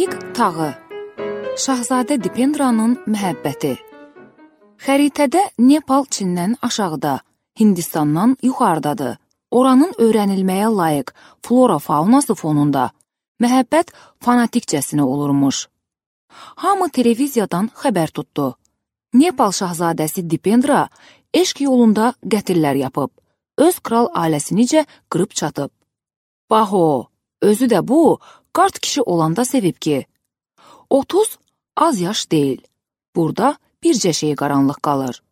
Lig tağı. Şahzadə Dipendranın məhəbbəti. Xəritədə Nepal Çindən aşağıda, Hindistandan yuxarıdadır. Oranın öyrənilməyə layiq flora-faunası fonunda məhəbbət fanatikcəsinə olurmuş. Hamı televiziyadan xəbər tutdu. Nepal şahzadəsi Dipendra eşq yolunda qətillər yapıb, öz kral ailəsinicə qırıb çatıb. Baho, özü də bu, qart kişi olanda sevib ki, 30 az yaş deyil. Burada bircə şey qaranlıq qalır.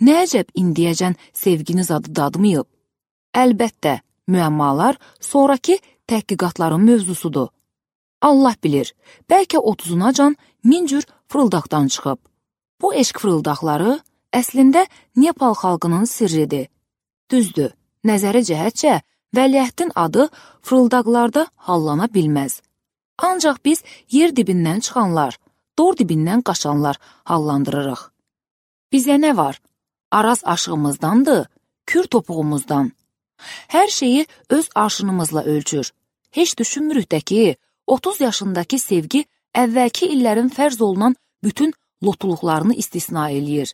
Nə əcəb indiyəcən sevginiz adı dadmayıb? Əlbəttə, müəmmalar sonraki təhqiqatların mövzusudur. Allah bilir, bəlkə 30-unacan min cür fırıldaqdan çıxıb. Bu eşq fırıldaqları əslində Nepal xalqının sirridir. Düzdür, nəzəri cəhətcə vəliəhdin adı fırıldaqlarda hallana bilməz. Ancaq biz yer dibindən çıxanlar, dor dibindən qaçanlar hallandırırıq. Bizə nə var? Araz aşığımızdandır, kür topuğumuzdan. Hər şeyi öz arşınımızla ölçür. Heç düşünmürük də ki, 30 yaşındakı sevgi əvvəlki illərin fərz olunan bütün lotuluqlarını istisna eləyir.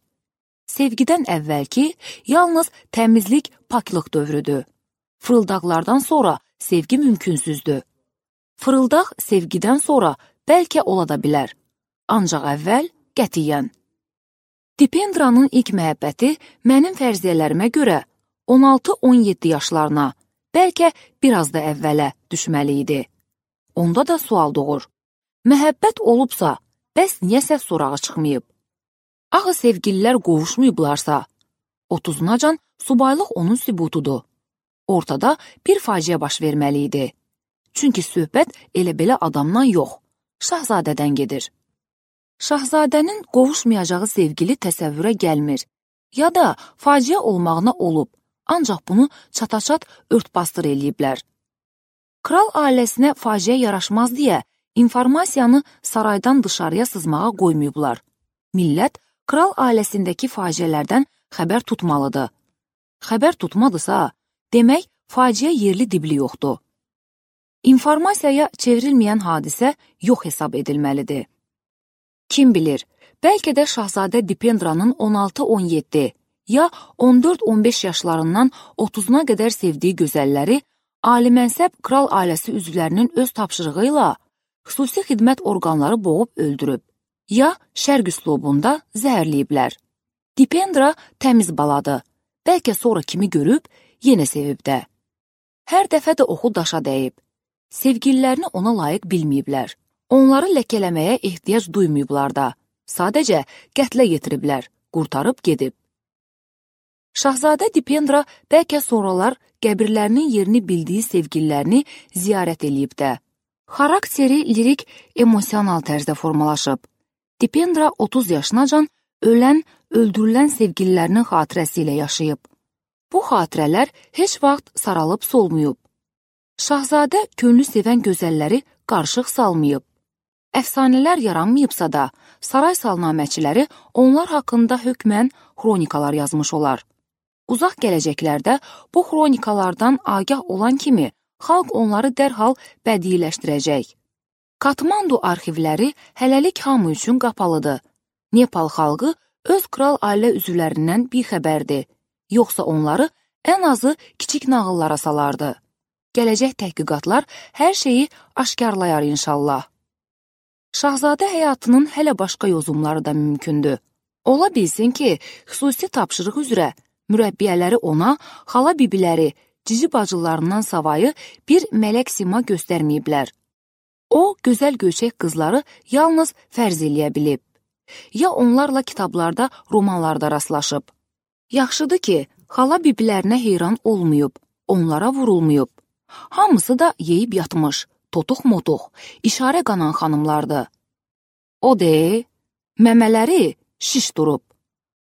Sevgidən əvvəlki yalnız təmizlik, paklıq dövrüdür. Fırıldaqlardan sonra sevgi mümkünsüzdür. Fırıldaq sevgidən sonra bəlkə ola da bilər. Ancaq əvvəl qətiyyən. Dipendranın ilk məhəbbəti mənim fərziyyələrimə görə 16-17 yaşlarına, bəlkə biraz da əvvələ düşməli idi. Onda da sual doğur. Məhəbbət olubsa, bəs niyə səs sorağı çıxmayıb? Axı sevgililər qovuşmayıblarsa, 30-unacan subaylıq onun sübutudur. Ortada bir faciə baş verməli idi. Çünki söhbət elə-belə adamdan yox, şahzadədən gedir. Şahzadənin qovuşmayacağı sevgili təsəvvürə gəlmir. Ya da faciə olmağına olub, ancaq bunu çataçat örtbastır eləyiblər. Kral ailəsinə faciə yaraşmaz deyə informasiyanı saraydan dışarıya sızmağa qoymayıblar. Millət kral ailəsindəki faciələrdən xəbər tutmalıdır. Xəbər tutmadısa, demək faciə yerli dibli yoxdur. İnformasiyaya çevrilməyən hadisə yox hesab edilməlidir. Kim bilir, bəlkə də şahzadə Dipendranın 16-17 ya 14-15 yaşlarından 30-una qədər sevdiyi gözəlləri alimənsəb kral ailəsi üzvlərinin öz tapşırığı ilə xüsusi xidmət orqanları boğub öldürüb, ya şərq üslubunda zəhərləyiblər. Dipendra təmiz baladır, bəlkə sonra kimi görüb, yenə sevib də. Hər dəfə də oxu daşa dəyib. Sevgililərini ona layiq bilməyiblər. Onları ləkələməyə ehtiyac duymayıblar da. Sadəcə qətlə yetiriblər, qurtarıb gedib. Şahzadə Dipendra bəlkə sonralar qəbirlərinin yerini bildiyi sevgililərini ziyarət eləyib də. Xarakteri lirik, emosional tərzdə formalaşıb. Dipendra 30 yaşınacan ölən, öldürülən sevgililərinin xatirəsi ilə yaşayıb. Bu xatirələr heç vaxt saralıb solmayıb. Şahzadə könlü sevən gözəlləri qarışıq salmayıb. Əfsanələr yaranmayıbsa da, saray salnaməçiləri onlar haqqında hökmən xronikalar yazmış olar. Uzaq gələcəklərdə bu xronikalardan agah olan kimi xalq onları dərhal bədiiləşdirəcək. Katmandu arxivləri hələlik hamı üçün qapalıdır. Nepal xalqı öz kral ailə üzvlərindən bixəbərdir. Yoxsa onları ən azı kiçik nağıllara salardı. Gələcək təhqiqatlar hər şeyi aşkarlayar inşallah. Şahzadə həyatının hələ başqa yozumları da mümkündür. Ola bilsin ki, xüsusi tapşırıq üzrə mürəbbiyələri ona, xala bibiləri, cici bacılarından savayı bir mələk sima göstərməyiblər. O, gözəl göyçək qızları yalnız fərz eləyə bilib. Ya onlarla kitablarda, romanlarda rastlaşıb. Yaxşıdır ki, xala bibilərinə heyran olmayıb, onlara vurulmayıb. Hamısı da yeyib yatmış, totuq-motuq, işarə qanan xanımlardır. O de, məmələri şiş durub,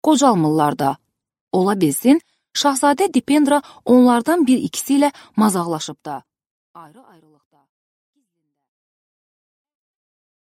qocalmırlar da. Ola bilsin, şahzadə Dipendra onlardan bir ikisi ilə mazaqlaşıb da. Ayrı-ayrı